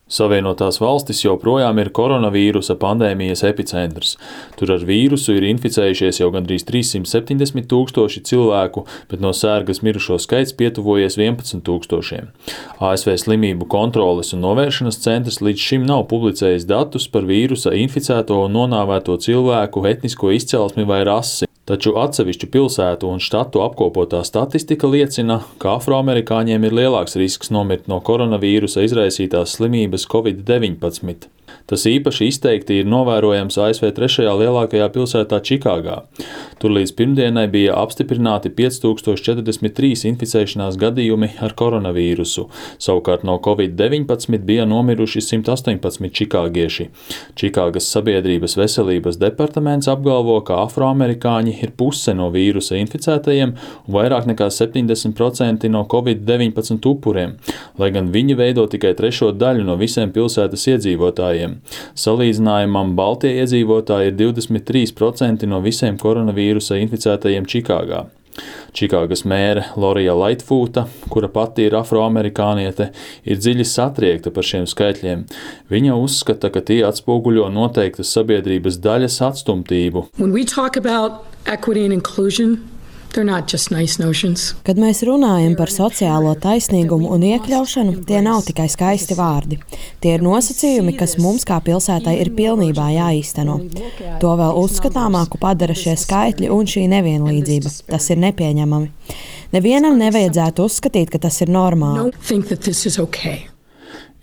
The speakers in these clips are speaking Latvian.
Savienotās valstis joprojām ir koronavīrusa pandēmijas epicentrs. Tur ar vīrusu ir inficējušies jau gandrīz 370 000 cilvēku, bet no sērgas mirušo skaits pietuvojies 11 000. ASV slimību kontroles un novēršanas centrs līdz šim nav publicējis datus par vīrusa inficēto un nonāvēto cilvēku etnisko izcelsmi vai rasi. Taču atsevišķu pilsētu un štatu apkopotā statistika liecina, ka afroamerikāņiem ir lielāks risks nomirt no koronavīrusa izraisītās slimības COVID-19. Tas īpaši izteikti ir novērojams ASV 3. lielākajā pilsētā Čikāgā. Tur līdz pirmdienai bija apstiprināti 5043 inficēšanās gadījumi ar koronavīrusu. Savukārt no COVID-19 bija nomiruši 118 čikāgieši. Čikāgas sabiedrības veselības departaments apgalvo, ka afroamerikāņi ir puse no vīrusa inficētajiem un vairāk nekā 70% no COVID-19 upuriem, lai gan viņi veido tikai trešo daļu no visiem pilsētas iedzīvotājiem. Salīdzinājumam Baltie iedzīvotāji ir 23% no visiem koronavīrusa inficētajiem Čikāgā. Čikāgas mēre Lorija Laitfūta, kura pati ir afroamerikāniete, ir dziļi satriekta par šiem skaitļiem. Viņa uzskata, ka tie atspoguļo noteiktas sabiedrības daļas atstumtību. Kad mēs runājam par sociālo taisnīgumu un iekļaušanu, tie nav tikai skaisti vārdi. Tie ir nosacījumi, kas mums kā pilsētai ir pilnībā jāīsteno. To vēl uzskatāmāku padara šie skaitļi un šī nevienlīdzība. Tas ir nepieņemami. Nevienam nevajadzētu uzskatīt, ka tas ir normāli.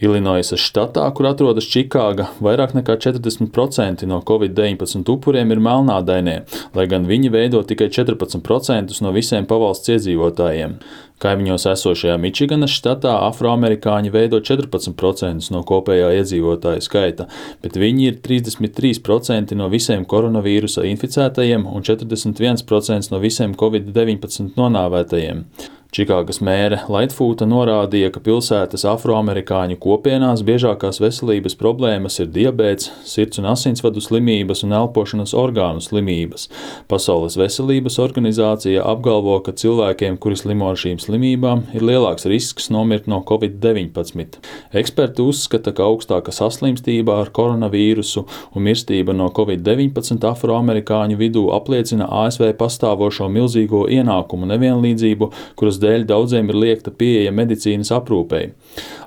Ilinoisas štatā, kur atrodas Čikāga, vairāk nekā 40% no COVID-19 upuriem ir melnādainie, lai gan viņi veido tikai 14% no visiem pavalsts iedzīvotājiem. Kaimiņos esošajā Mičiganas štatā afroamerikāņi veido 14% no kopējā iedzīvotāju skaita, bet viņi ir 33% no visiem koronavīrusa inficētajiem un 41% no visiem COVID-19 nonāvētajiem. Čikāgas mēre Laitfūta norādīja, ka pilsētas afroamerikāņu kopienās biežākās veselības problēmas ir diabēts, sirds un asinsvadu slimības un elpošanas orgānu slimības. Pasaules veselības organizācija apgalvo, ka cilvēkiem, kuri slimo ar šīm slimībām, ir lielāks risks nomirt no COVID-19. Eksperti uzskata, ka augstāka saslimstība ar koronavīrusu un mirstība no COVID-19 afroamerikāņu vidū apliecina ASV pastāvošo milzīgo ienākumu nevienlīdzību, kuras dēļ daudziem ir liegta pieeja medicīnas aprūpei.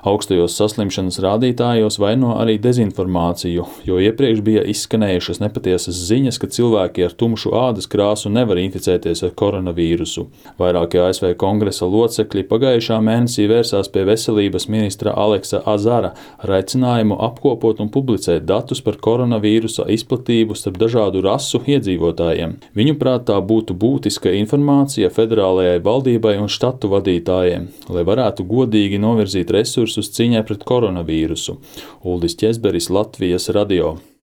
Augstajos saslimšanas rādītājos vaino arī dezinformāciju, jo iepriekš bija izskanējušas nepatiesas ziņas, ka cilvēki ar tumšu ādas krāsu nevar inficēties ar koronavīrusu. Vairākie ASV kongresa locekļi pagājušā mēnesī vērsās pie veselības ministra Aleksa Azara ar aicinājumu apkopot un publicēt datus par koronavīrusa izplatību starp dažādu rasu iedzīvotājiem. Viņuprāt, tā būtu būtiska informācija federālajai valdībai un štatu vadītājiem, lai varētu godīgi novirzīt resursus cīņai pret koronavīrusu. Uldis Ķezberis, Latvijas radio.